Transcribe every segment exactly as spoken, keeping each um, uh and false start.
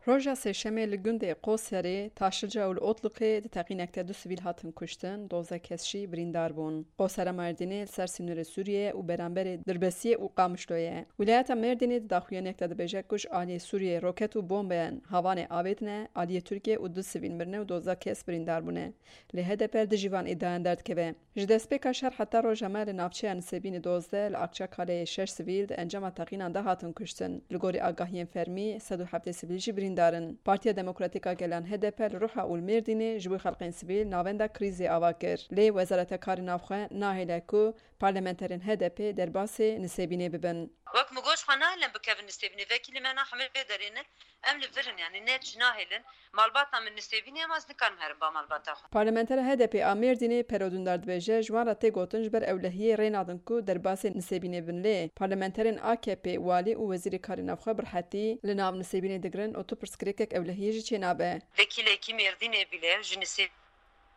Roja Sêşemê li gundê Qoserê, Taşlica û li Otluqê di teqînek de du sivîl hatin kuştin, dozdeh kes jî birîndar bûn. Qosera Mêrdînê li ser sînorê Sûriyê û beramberê Dirbesiyê û Qamişloyê ye. Wîlayeta Mêrdînê di daxuyaniyek de dibêje ku ji aliyê Sûriyê roket û bombeyan havanê avêtine aliyê Tirkiyê û du sivîl mirine û dozdeh kes birîndar bûne. Lê H D P li dijî van îdiayan derdikeve. Ji destpêka şer heta roja me li navçeya Nisêbînê dozdeh, li Akçakaleyê şeş sivîl di encama teqînan de hatin kuştin. Li gorî agahiyên fermî, sed û heftê sivîl jî birîndar in. Partiya Demokratîk a Gelan H D P li Ruha û li Mêrdînê ji bo xelkên sivîl navenda krîzê ava kir. Lê Wezareta Karê Navxwe nahêle ku parlamenterên H D P derbasê Nisêbînê bibin. Wek min got, xwe nahêlin bikevin Nisêbînê. Vekîlê me na hemê vê derê ne. Em li vir in, yanî ne çi nahêlin. Malbata min Nisêbînê, em ez nikarim herim ba malbata xwe. Parlamentera H D P a Mêrdînê Pero Dündar dibêje, ji wan re tê gotin ji ber ewlehiyê rê nadin ku derbasê Nisêbînê bin. Lê parlamenterên A K P, walî û wezîrê karê navxwe bi rehetî li nav Nisêbînê digirin û tu pirsgirêkek ewlehiyê jî çênabe. Vekîlekî Mêrdînê bile ji Nisêbînê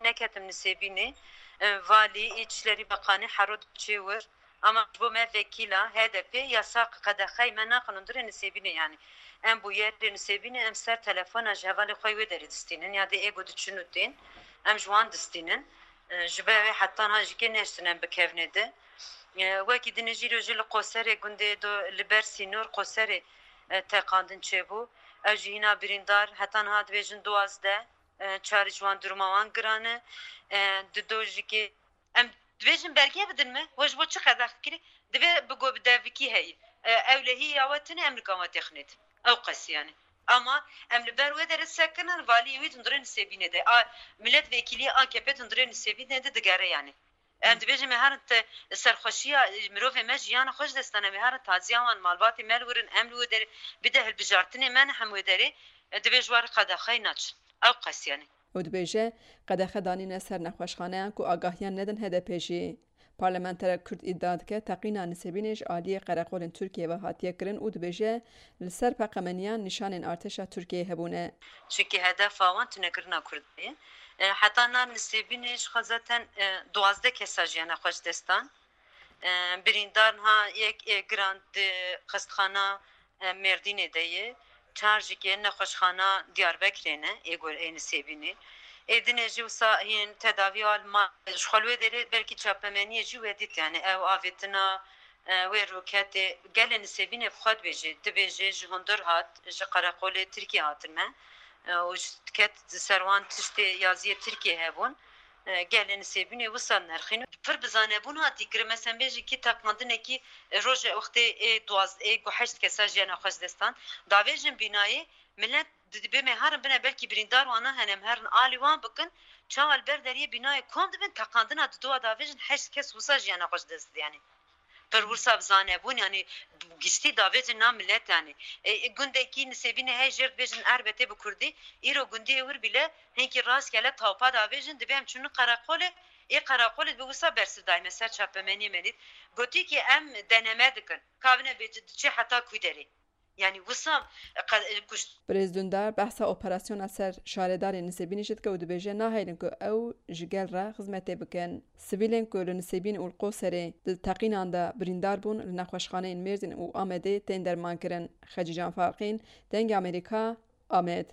neketim Nisêbînê, e, valî, îçlerî, beqanî, hero diçê wir. Ama ji bo me vekîla H D P yasa qedexeyê me naxin hundirê Nisêbînê, yanî em bûyerê Nisêbînê em ser telefona ji hevalê xwe wê derê distînin ya dê êgo diçin û tên, em ji wan distînin. E, ji ber wê heta niha jî kê nehiştin em bikevnê de. E, wekî dinê jî rojê li Qoserê gundê do li ber sînor Qoserê, e, teqandin çêbû. Ew jî hîna birîndar, heta niha dibêjin duwazdeh, e, çar ji wan duruma wan giran e. E, di do jî kê Em dibêjin belge bidin me, we ji bo çi qedex dikirî? Divê bi go-, bi devikî heyî. E, ewlehî ya we tune, em nikan we têxinêt. Ew qesî yani. Ama em li ber wê derê sekinin, valiyê wî di hundirê Nisêbînê de. A, milletvekiliyê A K P di hundirê Nisêbînê de digere yani. Em dibêjin me herin te serxweşiya, e, mirovê me jiyana xwe ji dest dane, me herin taziya wan, malbatê me li wir in, em li wê derê bide hilbijartinê me ne hem wê derê, e, divê ji we re qedexeyê naçin. Ew qesî yani. Û dibêje, qedexe danîne ser nexweşxaneyan ku agahiyan nedin H D P jî. Parlamenterek Kurd îdia dike, teqîna Nisêbînê ji aliyê qereqolên Tirkiyê ve hatiye kirin û dibêje, li ser peqemeniyan nîşanên artêşa Tirkiyeyê hebûne. Çunkî hedefa wan tunekirina Kurdê ye. E, heta na Nisêbînê ji xwe zaten, e, duwazdeh kesa jiyana xwe ji dest dan. E, birîndar niha yek, e, giran di xistxana e, Mêrdînê de ye. Çar jî kê nexweşxana Diyarbekirê ne, ê gor ê Nisêbînê. Ê dinê jî wisa yên tedaviya li mal. Ji xwe li wê derê belkî çapemeniyê jî we dît, yani ew avêtina, e, wê roketê gelê Nisêbînê bi xwe dibêje, dibêje ji hundir hat, ji qereqolê Tirkiyê hatime. E, û ji ket ser wan tiştê yaziyê Tirkiyê hebûn. E, gelê Nisêbînê wisa nerxîn. Pir bi zanebûn hatî kirin. Mesela bêjin kî teqandinekî, e, roje wextê ê duwaz-, ê ku heşt kesa jiyana xwe ji dest dan. Davêjin bînayê, millet di-, dibê me herin bine, belkî birîndar wana hene, em herin alî wan bikin. Çawa li ber deriyê bînayê kom dibin, teqandina didowa davêjin heşt kes wisa jiyana xwe ji dest didin, yanî. Pir wisa bi zanebûn, yanî giştî davêjin na millet, yanî. E, e, gundekî Nisêbînê heye jêr dibêjin Erbetê bi kurdî, îro gundiyê wir bile hinkî rastgele tawpa davêjin, dibê em çûnin qereqolê, ê qereqolê bi wisa bersiv dayme ser çapemeniyê me dît. Gotî ki em deneme dikin, ka bine bê diçe heta kû derê. Yanî wisa, e, qe-, e, kuşt. Birêz Dundar behsa operasyona ser şaredarên Nisêbînê jî dike û dibêje, nahêlin ku ew ji gel re xizmetê bikin. Sivîlên ku li Nisêbîn û li Qoserê di teqînan de birîndar bûn, li nexweşxaneyên Mêrdîn û Amedê tên dermankirin. Xecîcan Farqîn, Dengê Amerîka, Amed.